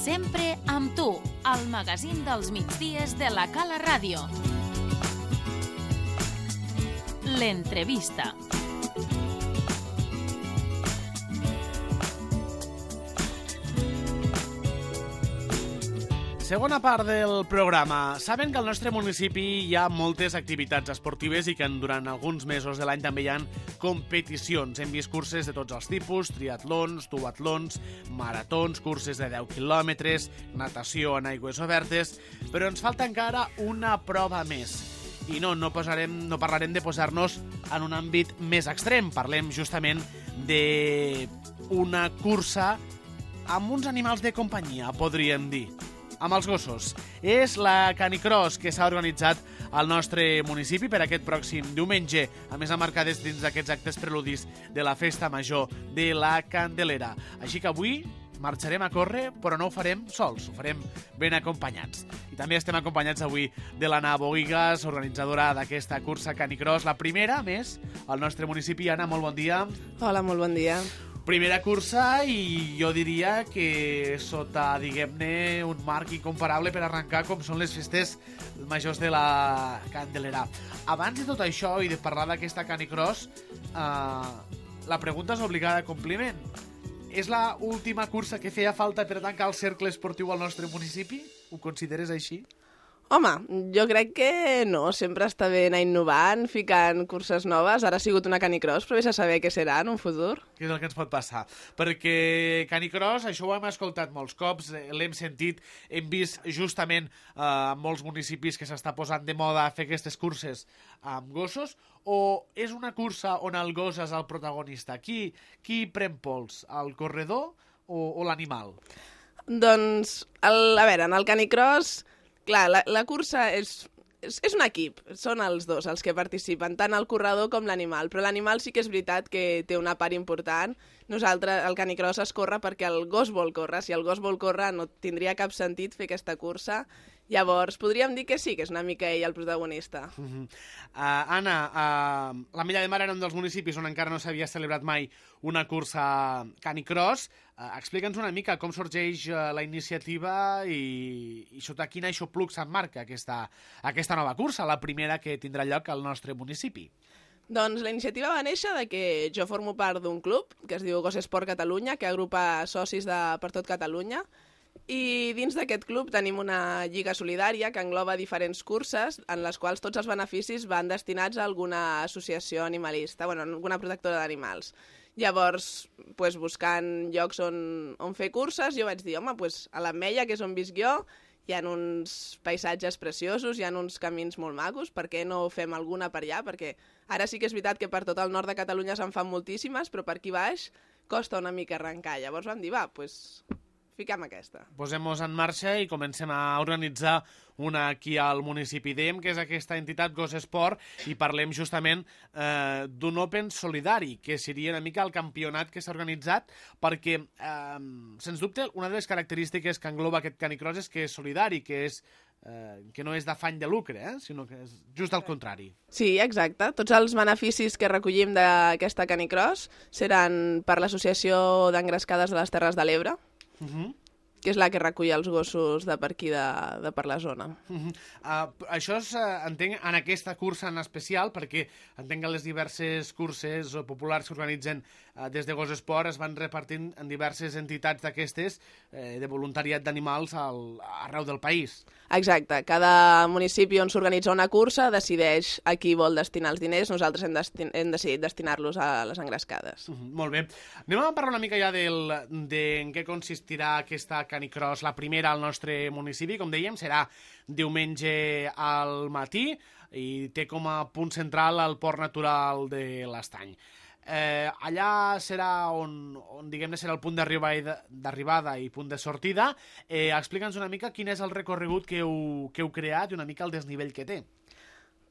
Sempre amb tu, al magazín dels migdies de la Cala Ràdio. L'entrevista. Segona part del programa. Saben que al nostre municipi hi ha moltes activitats esportives i que durant alguns mesos de l'any també hi ha competicions. Hem vist curses de tots els tipus, triatlons, duatlons, maratons, curses de 10 quilòmetres, natació en aigües obertes, però ens falta encara una prova més. I no parlarem de posar-nos en un àmbit més extrem. Parlem justament d'una cursa amb uns animals de companyia, podríem dir. Amb els gossos. És la Canicross que s'ha organitzat al nostre municipi per aquest pròxim diumenge, a més emmarcades dins d'aquests actes preludis de la Festa Major de la Candelera. Així que avui marxarem a córrer, però no ho farem sols, ho farem ben acompanyats. I també estem acompanyats avui de l'Anna Bohigas, organitzadora d'aquesta cursa Canicross, la primera, a més, al nostre municipi. Anna, molt bon dia. Hola, molt bon dia. Primera cursa i jo diria que sota, diguem-ne, un marc incomparable per arrencar com són les festes majors de la Candelera. Abans de tot això i de parlar d'aquesta Canicross, la pregunta és obligada a compliment. És la última cursa que feia falta per tancar el cercle esportiu al nostre municipi? Ho consideres així? Home, jo crec que no, sempre està bé anar innovant, ficant curses noves. Ara ha sigut una Canicross, però vés a saber què serà en un futur. Què és el que ens pot passar? Perquè Canicross, això ho hem escoltat molts cops, l'hem sentit, hem vist justament en molts municipis que s'està posant de moda fer aquestes curses amb gossos, o és una cursa on el gos és el protagonista? Qui pren pols, el corredor o l'animal? Doncs, a veure, en el Canicross, clar, la cursa és un equip, són els dos els que participen, tant el corredor com l'animal, però l'animal sí que és veritat que té una part important. Nosaltres, el Canicross es corre perquè el gos vol córrer, si el gos vol córrer no tindria cap sentit fer aquesta cursa. Llavors, podríem dir que sí, que és una mica ell el protagonista. Anna, l'Ametlla de Mar era un dels municipis on encara no s'havia celebrat mai una cursa Canicross. Explica'ns una mica com sorgeix la iniciativa i sota quin aixopluc s'emmarca aquesta nova cursa, la primera que tindrà lloc al nostre municipi. Doncs la iniciativa va néixer de que jo formo part d'un club que es diu Gos Esport Catalunya, que agrupa socis per tot Catalunya, i dins d'aquest club tenim una lliga solidària que engloba diferents curses en les quals tots els beneficis van destinats a alguna associació animalista, alguna protectora d'animals. Llavors, buscant llocs on fer curses, jo vaig dir, home, a l'Ametlla, que és on visc jo, hi ha uns paisatges preciosos, hi ha uns camins molt macos, per què no fem alguna per allà? Perquè ara sí que és veritat que per tot el nord de Catalunya se'n fan moltíssimes, però per aquí baix costa una mica arrencar. Llavors vam dir, fiquem aquesta. Posem-nos en marxa i comencem a organitzar una aquí al municipi. Dèiem que és aquesta entitat Gos Esport i parlem justament d'un Open solidari, que seria una mica el campionat que s'ha organitzat, perquè, sens dubte, una de les característiques que engloba aquest Canicross és que és solidari, que no és d'afany de lucre, sinó que és just al contrari. Sí, exacte. Tots els beneficis que recollim d'aquesta Canicross seran per l'Associació d'Engrescades de les Terres de l'Ebre, que és la que recull els gossos de per aquí, de per la zona. Això entenc, en aquesta cursa en especial, perquè entenc que les diverses curses populars que organitzen des de Gos Esport es van repartint en diverses entitats d'aquestes de voluntariat d'animals arreu del país. Exacte. Cada municipi on s'organitza una cursa decideix a qui vol destinar els diners. Nosaltres hem decidit destinar-los a les engrescades. Molt bé. Anem a parlar una mica ja en què consistirà aquesta Canicross, la primera al nostre municipi. Com dèiem, serà diumenge al matí i té com a punt central el Port Natural de l'Estany. Allà serà on diguem-ne, serà el punt d'arribada i punt de sortida. Explica'ns una mica quin és el recorregut que heu creat i una mica el desnivell que té.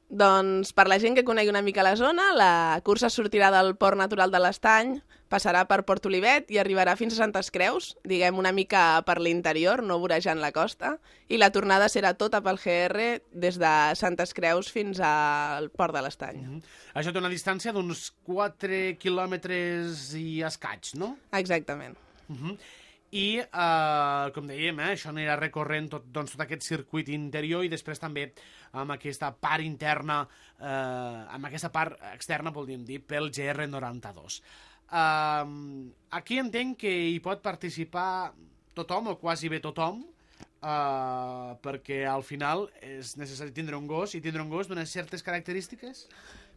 Doncs per la gent que conegui una mica la zona, la cursa sortirà del Port Natural de l'Estany, passarà per Port Olivet i arribarà fins a Santes Creus, diguem una mica per l'interior, no vorejant la costa, i la tornada serà tota pel GR des de Santes Creus fins al Port de l'Estany. Això té una distància d'uns 4 quilòmetres i escaig, no? Exactament. i, com dèiem, això anirà recorrent tot aquest circuit interior i després també amb aquesta part interna, amb aquesta part externa, podríem dir, pel GR92. Aquí entenc que hi pot participar tothom, o quasi bé tothom, perquè al final és necessari tindre un gos, i tindre un gos d'unes certes característiques?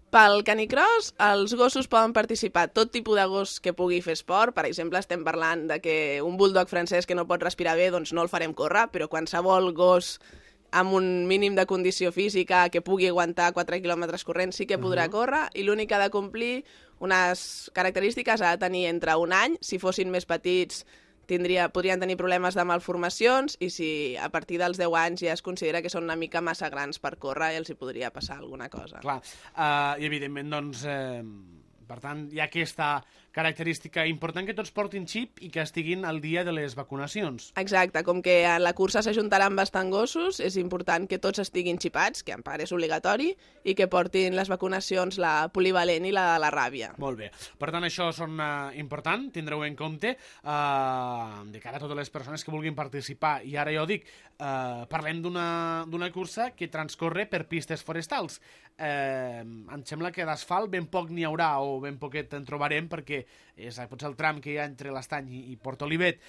Pel canicross, els gossos poden participar tot tipus de gos que pugui fer esport. Per exemple, estem parlant de que un bulldog francès que no pot respirar bé, doncs no el farem córrer, però qualsevol gos amb un mínim de condició física que pugui aguantar 4 quilòmetres corrents sí que podrà córrer, i l'únic que ha de complir unes característiques ha de tenir entre un any. Si fossin més petits podrien tenir problemes de malformacions, i si a partir dels 10 anys ja es considera que són una mica massa grans per córrer, els hi podria passar alguna cosa. Clar, i evidentment, doncs, per tant, hi ha aquesta característica important que tots portin xip i que estiguin al dia de les vacunacions. Exacte, com que a la cursa s'ajuntaran bastant gossos, és important que tots estiguin xipats, que en part és obligatori, i que portin les vacunacions, la polivalent i la de la ràbia. Molt bé. Per tant, això són important, tindreu en compte de cara a totes les persones que vulguin participar. I ara jo dic, parlem d'una cursa que transcorre per pistes forestals. Em sembla que d'asfalt ben poc n'hi haurà, o ben poquet en trobarem, perquè és potser el tram que hi ha entre l'Estany i Port Olivet.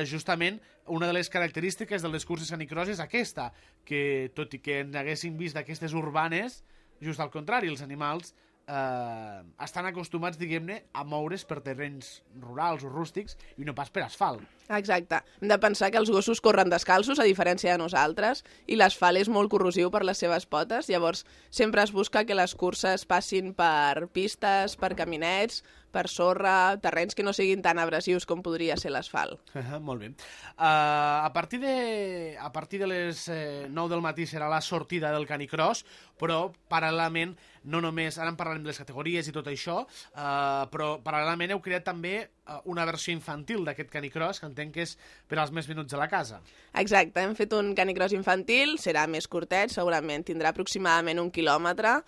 Justament, una de les característiques de les curses canicross és aquesta, que tot i que en haguéssim vist d'aquestes urbanes, just al contrari, els animals estan acostumats, diguem-ne, a moure's per terrenys rurals o rústics i no pas per asfalt. Exacte. Hem de pensar que els gossos corren descalços, a diferència de nosaltres, i l'asfalt és molt corrosiu per les seves potes, llavors sempre es busca que les curses passin per pistes, per caminets, per sorra, terrenys que no siguin tan abrasius com podria ser l'asfalt. Molt bé. A partir de les 9 del matí serà la sortida del canicross, però paral·lelament, no només, ara en parlarem de les categories i tot això, però paral·lelament heu creat també una versió infantil d'aquest canicross, que entenc que és per als més menuts de la casa. Exacte, hem fet un canicross infantil, serà més curtet, segurament tindrà aproximadament 1 quilòmetre.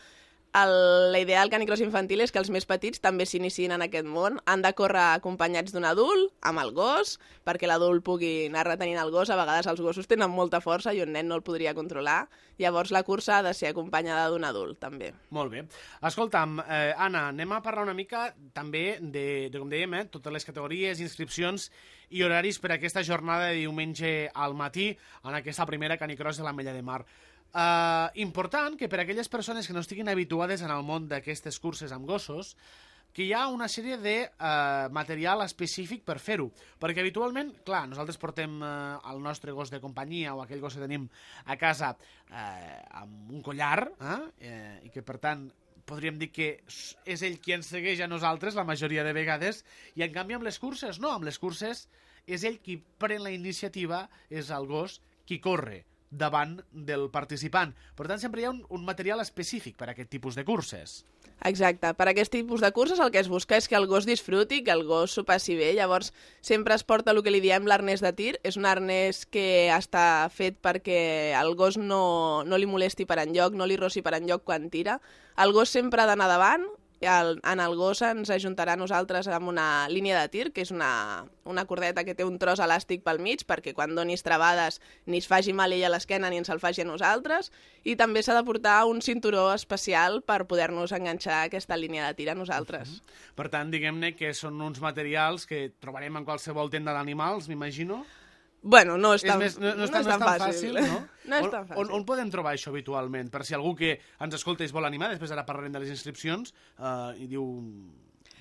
La idea del canicross infantil és que els més petits també s'iniciïn en aquest món. Han de córrer acompanyats d'un adult, amb el gos, perquè l'adult pugui anar retenint el gos. A vegades els gossos tenen molta força i un nen no el podria controlar. Llavors la cursa ha de ser acompanyada d'un adult, també. Molt bé. Escolta'm, Anna, anem a parlar una mica també de com dèiem, totes les categories, inscripcions i horaris per a aquesta jornada de diumenge al matí en aquesta primera canicross de l'Ametlla de Mar. Important que per a aquelles persones que no estiguin habituades en el món d'aquestes curses amb gossos, que hi ha una sèrie de material específic per fer-ho, perquè habitualment, clar, nosaltres portem el nostre gos de companyia o aquell gos que tenim a casa amb un collar, i que per tant podríem dir que és ell qui ens segueix a nosaltres la majoria de vegades, i en canvi amb les curses no, amb les curses és ell qui pren la iniciativa, és el gos qui corre davant del participant. Per tant, sempre hi ha un material específic per a aquest tipus de curses. Exacte. Per a aquest tipus de curses el que es busca és que el gos disfruti, que el gos s'ho passi bé. Llavors, sempre es porta el que li diem l'arnès de tir. És un arnès que està fet perquè el gos no li molesti per enlloc, no li rossi per enlloc quan tira. El gos sempre ha d'anar davant. En el gos ens ajuntarà a nosaltres amb una línia de tir, que és una cordeta que té un tros elàstic pel mig, perquè quan donis travades ni es faci mal ell a l'esquena ni ens el faci a nosaltres, i també s'ha de portar un cinturó especial per poder-nos enganxar aquesta línia de tir a nosaltres. Per tant, diguem-ne que són uns materials que trobarem en qualsevol tenda d'animals, m'imagino. Bueno, no és tan fàcil, no? No és tan fàcil. On podem trobar això habitualment? Per si algú que ens escolta i es vol animar, després ara parlarem de les inscripcions, i diu,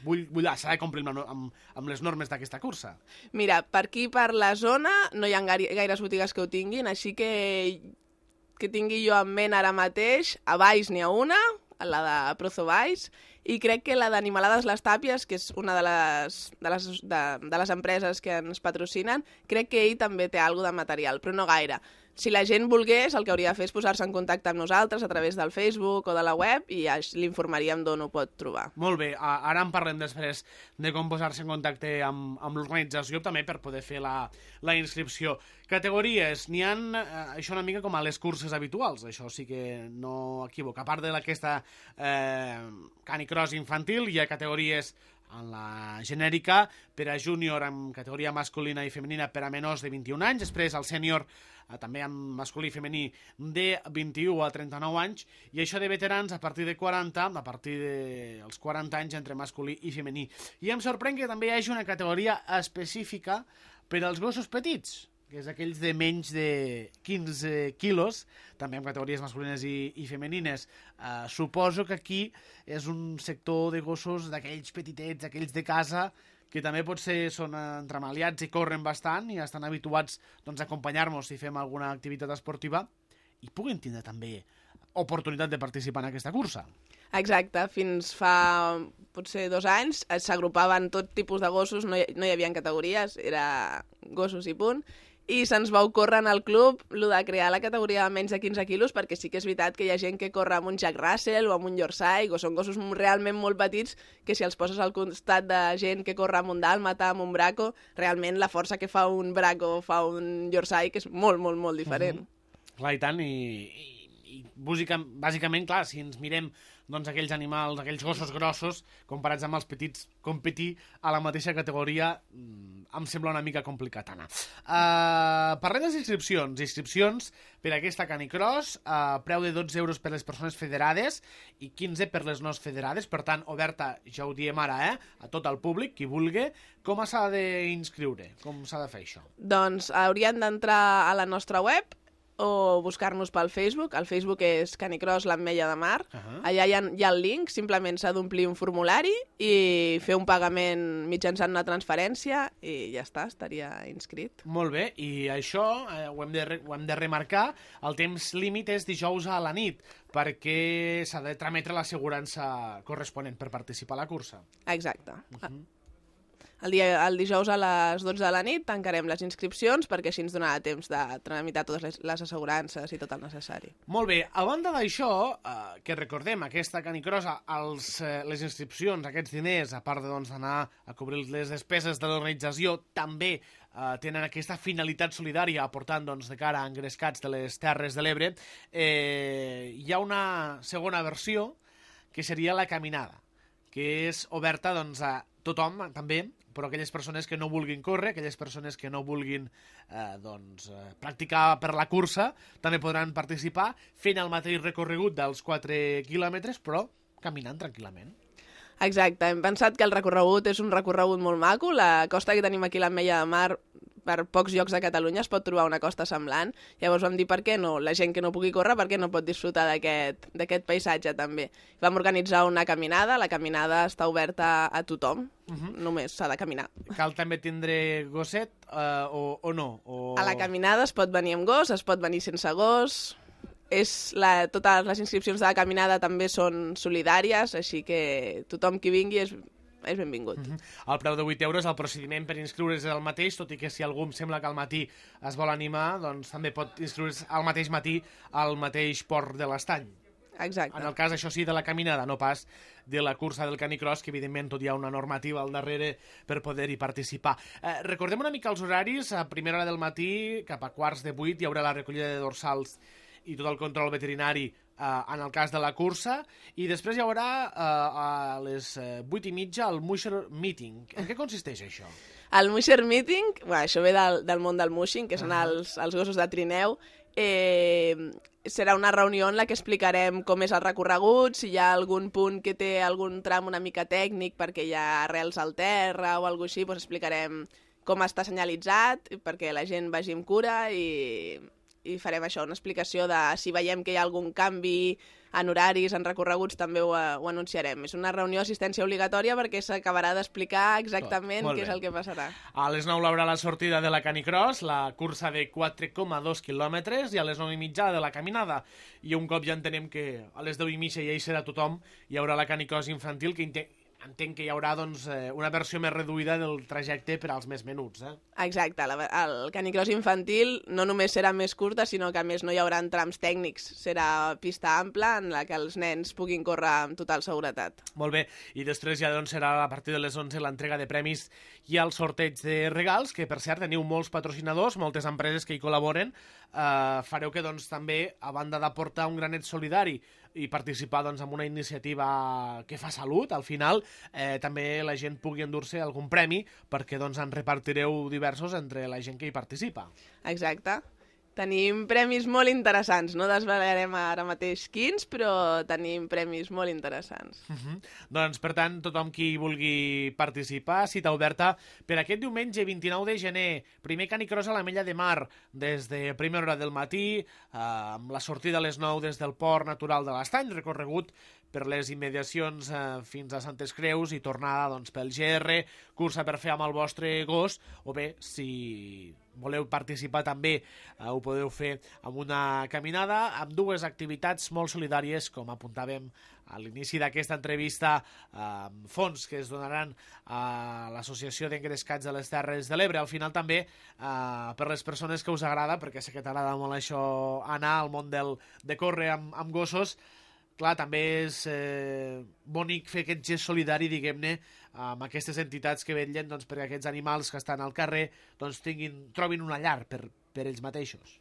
s'ha de complir amb les normes d'aquesta cursa. Mira, per aquí, per la zona, no hi ha gaires botigues que ho tinguin, així que tingui jo en ment ara mateix, a Valls n'hi ha una, la de Prozo Valls, i crec que la d'Animalades Les Tàpies, que és una de les empreses que ens patrocinen, crec que ell també té alguna de material, però no gaire. Si la gent volgués, el que hauria de fer és posar-se en contacte amb nosaltres a través del Facebook o de la web i ja l'informaríem d'on ho pot trobar. Molt bé, ara en parlem després de com posar-se en contacte amb l'organització, també per poder fer la inscripció. Categories, n'hi ha això una mica com a les curses habituals, això sí que no equivoca. A part d'aquesta canicross infantil, hi ha categories en la genèrica, per a júnior en categoria masculina i femenina per a menors de 21 anys, després el sènior també en masculí i femení de 21 a 39 anys, i això de veterans a partir de 40, a partir dels 40 anys entre masculí i femení. I em sorprèn que també hi hagi una categoria específica per als gossos petits, que és aquells de menys de 15 quilos, també en categories masculines i femenines. Suposo que aquí és un sector de gossos d'aquells petitets, aquells de casa, que també potser són entremaliats i corren bastant i estan habituats doncs, a acompanyar-nos si fem alguna activitat esportiva i puguin tindre també oportunitat de participar en aquesta cursa. Exacte, fins fa potser 2 anys s'agrupaven tot tipus de gossos, no hi havia categories, era gossos i punt, i se'ns va ocórrer en el club lo de crear la categoria de menys de 15 quilos, perquè sí que és veritat que hi ha gent que corre amb un Jack Russell o amb un Yorkshire, o són gossos realment molt petits que si els poses al costat de gent que corre amb un dàlmata, amb un braco, realment la força que fa un braco o fa un Yorkshire que és molt, molt, molt diferent. Clar, i tant, i bàsicament, clar, si ens mirem doncs, aquells animals, aquells gossos grossos, comparats amb els petits, competir a la mateixa categoria em sembla una mica complicat anar. Parlem de les inscripcions per a aquesta canicross, preu de 12 euros per les persones federades i 15 per les no federades, per tant, oberta, ja ho diem ara, a tot el públic, qui vulgui. Com s'ha d'inscriure? Com s'ha de fer això? Doncs haurien d'entrar a la nostra web o buscar-nos pel Facebook. El Facebook és Canicross l'Ametlla de Mar. Allà hi ha el link, simplement s'ha d'omplir un formulari i fer un pagament mitjançant una transferència i ja està, estaria inscrit. Molt bé, i això ho hem de remarcar, el temps límit és dijous a la nit, perquè s'ha de trametre l'assegurança corresponent per participar a la cursa. Exacte. El dijous a les 12 de la nit tancarem les inscripcions perquè així ens donarà temps de tramitar totes les assegurances i tot el necessari. Molt bé, a banda d'això, que recordem, aquesta canicrossa, les inscripcions, aquests diners, a part d'anar a cobrir les despeses de l'organització, també tenen aquesta finalitat solidària aportant de cara a engrescats de les Terres de l'Ebre. Hi ha una segona versió, que seria la caminada, que és oberta a tothom, també, però aquelles persones que no vulguin córrer, aquelles persones que no vulguin practicar per la cursa, també podran participar fent el mateix recorregut dels 4 quilòmetres, però caminant tranquil·lament. Exacte, hem pensat que el recorregut és un recorregut molt maco. La costa que tenim aquí a l'Ametlla de Mar, per pocs llocs de Catalunya es pot trobar una costa semblant. Llavors vam dir per què no, la gent que no pugui córrer, per què no pot disfrutar d'aquest paisatge també. Vam organitzar una caminada, la caminada està oberta a tothom, només s'ha de caminar. Cal també tindre gosset o no? A la caminada es pot venir amb gos, es pot venir sense gos. Totes les inscripcions de la caminada també són solidàries, així que tothom qui vingui és benvingut. El preu de 8 euros, el procediment per inscriure's és el mateix, tot i que si algú em sembla que al matí es vol animar, doncs també pot inscriure's al mateix matí al mateix port de l'Estany. Exacte. En el cas, això sí, de la caminada, no pas de la cursa del canicross, que evidentment tot hi ha una normativa al darrere per poder-hi participar. Recordem una mica els horaris. A primera hora del matí, cap a 7:45, hi haurà la recollida de dorsals i tot el control veterinari en el cas de la cursa, i després hi haurà a les 8:30 el Musher Meeting. En què consisteix això? El Musher Meeting, això ve del món del mushing, que són els gossos de trineu. Serà una reunió en la que explicarem com és el recorregut, si hi ha algun punt que té algun tram una mica tècnic perquè hi ha arrels al terra o alguna cosa així, doncs explicarem com està senyalitzat perquè la gent vagi amb cura i farem això, una explicació de si veiem que hi ha algun canvi en horaris, en recorreguts, també ho anunciarem. És una reunió d'assistència obligatòria perquè s'acabarà d'explicar exactament què és el que passarà. A les 9 haurà la sortida de la canicross, la cursa de 4,2 quilòmetres, i a les 9:30 de la caminada. I un cop ja entenem que a les 10:30 ja hi serà tothom, hi haurà la canicross infantil, que entenc que hi haurà una versió més reduïda del trajecte per als més menuts. Exacte, el canicross infantil no només serà més curta, sinó que a més no hi haurà trams tècnics. Serà pista ampla en la que els nens puguin córrer amb total seguretat. Molt bé, i després ja serà a partir de les 11 l'entrega de premis i el sorteig de regals, que per cert teniu molts patrocinadors, moltes empreses que hi col·laboren. Fareu que també, a banda d'aportar un granet solidari i participar doncs, en una iniciativa que fa salut, al final també la gent pugui endur-se algun premi perquè doncs, en repartireu diversos entre la gent que hi participa. Exacte. Tenim premis molt interessants, no desvelarem ara mateix quins, però tenim premis molt interessants. Doncs, per tant, tothom qui vulgui participar, cita oberta per aquest diumenge 29 de gener, primer canicross a l'Ametlla de Mar, des de primera hora del matí, amb la sortida a les 9 des del Port Natural de l'Estany, recorregut per les immediacions fins a Santes Creus i tornada doncs, pel GR, cursa per fer amb el vostre gos, o bé, si voleu participar també, ho podeu fer amb una caminada, amb dues activitats molt solidàries, com apuntàvem a l'inici d'aquesta entrevista, fons que es donaran a l'Associació d'Engrescats de les Terres de l'Ebre. Al final també, per les persones que us agrada, perquè sé que t'agrada molt això, anar al món de córrer amb gossos, clar, també és bonic fer aquest gest solidari, diguem-ne, amb aquestes entitats que vetllen doncs, perquè aquests animals que estan al carrer doncs, trobin una llar per ells mateixos.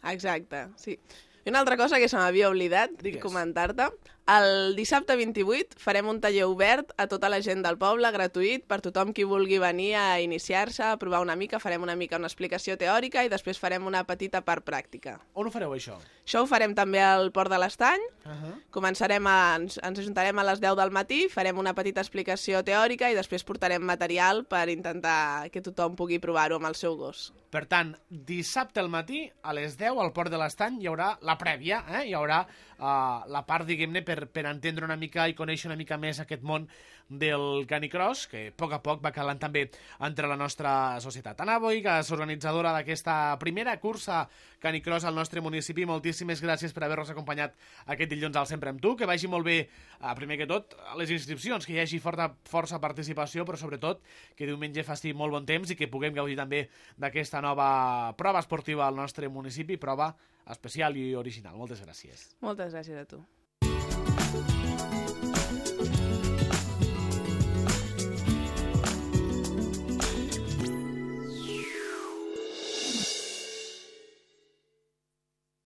Exacte, sí. I una altra cosa que se m'havia oblidat comentar-te, el dissabte 28 farem un taller obert a tota la gent del poble, gratuït, per tothom qui vulgui venir a iniciar-se, a provar una mica, farem una mica una explicació teòrica i després farem una petita part pràctica. On ho fareu, això? Això ho farem també al Port de l'Estany. Ens ajuntarem a les 10 del matí, farem una petita explicació teòrica i després portarem material per intentar que tothom pugui provar-ho amb el seu gos. Per tant, dissabte al matí, a les 10, al Port de l'Estany, hi haurà la prèvia, hi haurà la part, diguem-ne, per entendre una mica i conèixer una mica més aquest món del canicross, que a poc va calant també entre la nostra societat. Anna Boigas, organitzadora d'aquesta primera cursa canicross al nostre municipi, moltíssimes gràcies per haver-nos acompanyat aquest dilluns al Sempre amb tu, que vagi molt bé, primer que tot, a les inscripcions, que hi hagi força participació, però sobretot que diumenge faci molt bon temps i que puguem gaudir també d'aquesta nova prova esportiva al nostre municipi, prova especial i original. Moltes gràcies. Moltes gràcies a tu.